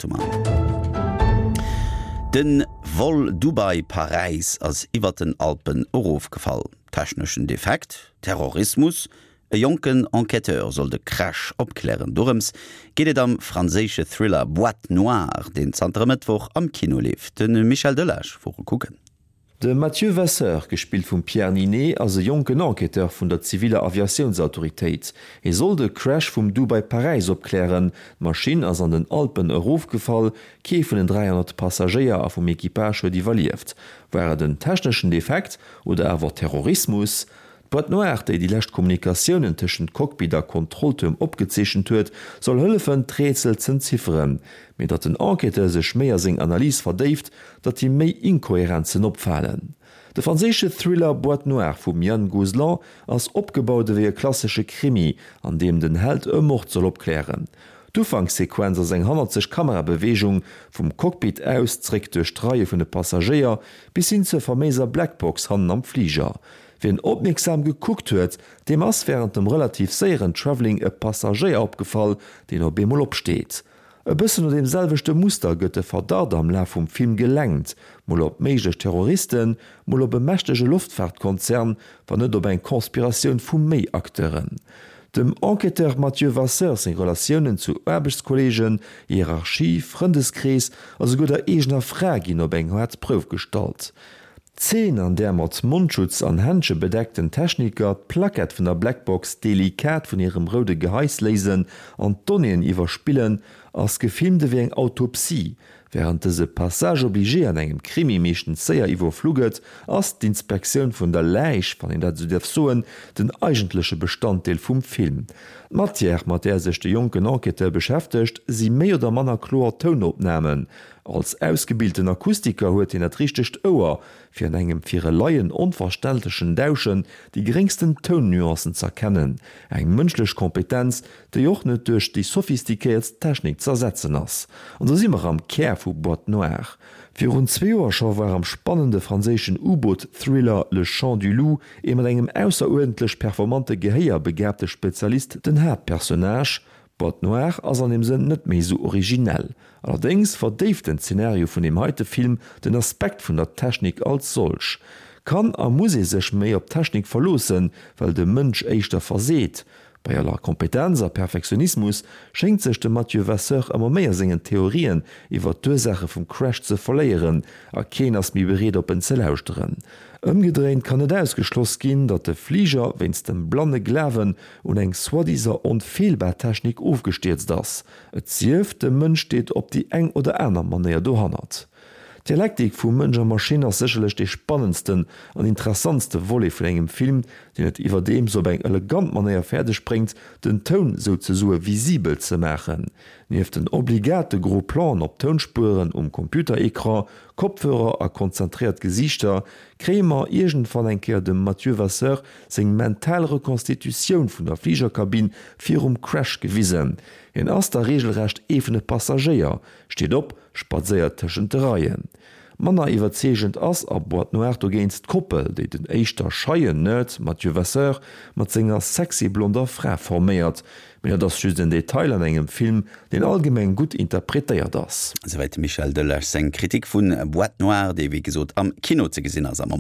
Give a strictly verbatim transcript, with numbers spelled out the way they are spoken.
Datumer. Den Vol Dubai-Paräis ass iwwer den Alpen erofgefall. Techneschen Defekt, Terrorismus, E jonken Enquêteur soll de Crash opklären. Dorëms geet et am franséische Thriller Boîte Noire, deen zanter e Mëttwoch am Kino leeft. De Michel Delage wor e kucken. De Mathieu Vasseur, gespillt vum Pierre Niney, ass e jonken Enquêteur vun der ziviler Aviatiounsautoritéit. Hie soll de Crash vum Dubai-Paräis opklären. D'Maschinn ass an den Alpen erofgefall, kee vun den dräihonnert Passagéier a vum Equipage huet iwwerlieft. War et en techneschen Defekt oder awer Terrorismus? D'Boîte noire, déi déi lescht Kommunikatiounen tëschent Cockpit a Kontrolltuerm opgezeechent huet, soll hëllefen, d'Rätsel z'entzifferen. Mee datt den Enquêteur sech méi a seng Analys verdéift, datt him méi Inkohärenzen opfalen. De franséische Thriller Boîte noire vum Yann Gozlan ass opgebaut ewéi e klassesche Krimi, an deem den Held e Mord soll opklären. D'Ufankssequenz ass eng hannerzeg Kamerabeweegung, vum Cockpit aus zréck duerch d'Reie vun de Passagéier bis hin zur faméiser Blackbox hannen am Fliger. Wien opmierksam gekuckt huet, deem ass wärend dem relativ séieren Travelling e Passagéier opgefall, deen op eemol opsteet. E bëssen no deem selwechte Muster gëtt de Verdacht am Laf vum Film gelenkt, mol op méiglech Terroristen, mol op e mächtege Loftfaartkonzern, wann net op eng Conspiratioun vu méi Acteuren. Dem Enquêteur Mathieu Vasseur seng Relatiounen zu Aarbechtskolleegen, Hierarchie, Frëndeskrees a souguer der eegener Fra ginn op eng haart Prouf gestallt. D'Zeen, an där mat Mondschutz an Händsche bedeckten Techniker d'Plackett vun der Blackbox delikat vun hirem roude Geheis léisen an d'Donnéeën iwwerspillen, ass gefilmt ewéi eng Autopsie. Wärend dëse Passage obligé an engem Krimi meeschtens séier iwwerflu gëtt, ass d'Inspektioun vun der Läich, wann een dat esou däerf soen, den eigentleche Bestanddeel vum Film. D'Matière, mat där sech de jonken Enquêteur beschäftegt, si méi oder manner kloer Tounopnamen. Als ausgebilten Akustiker huet hien dat richtegt Ouer, fir an engem fir e Laien onverständlechen Dauschen déi geréngsten Tounnuancen z'erkennen, eng mënschlech Kompetenz, déi och net duerch déi sophistiquéiertst Technik z'ersetzen ass. An do si mer am Kär vu Boîte noire. Virun zwee Joer scho war am spannende franséischen U-Boot-Thriller Le Chant du loup ee mat engem ausseruerdentlech performante Gehéier begaabte Spezialist den Haaptpersonnage. Boîte noire ass an deem Sënn net méi esou originell. Allerdéngs verdéift den Zenario vun deem heite Film den Aspekt vun der Technik als solch. Kann a muss ee sech méi op d'Technik verloossen, well de Mënsch éischter verseet? Bei aller Kompetenz a Perfektionismus schéngt sech de Mathieu Vasseur ëmmer méi a sengen Theorien iwwer d'Ursaache vum Crash ze verléieren a keen ass méi bereet op en ze lauschteren. Ëmgedréint kann net ausgeschloss ginn, datt de Fliger wéinst dem blanne Glawen un eng soi-disant onfeelbar Technik ofgestierzt ass, et sief, de Mënsch steet op déi eng oder aner Manéier dohannert. D'Dialektik vu Mënsch a Maschinn ass sécherlech dee spannendsten an interessantste Volet vun engem Film, deen et iwwerdeems op eng elegant Manéier fäerdeg bréngt, den Toun souzesoe visibel ze maachen. Nieft den obligate Gros Planen op Tounspueren um Computerecran, Kopfhörer a konzentréiert Gesiichter, kréie mer iergendwann eng Kéier dem Mathieu Vasseur seng mental Rekonstitutioun vun der Fligerkabinn virum Crash gewisen. Hien ass da reegelrecht ee vun de Passagéier, steet op, spadséiert tëschent de Reien. Manner iwwerzeegend ass a Boîte noire dogéint d'Koppel, déi den éischter scheien Nerd Mathieu Vasseur mat senger sexy blonder Fra forméiert. Mee dat ass just en Detail an engem Film, deen allgemeng gutt interpretéiert ass. Esouwäit de Michel Delage seng Kritik vu Boîte noire, déi wéi gesot am Kino ze gesinn ass am Moment.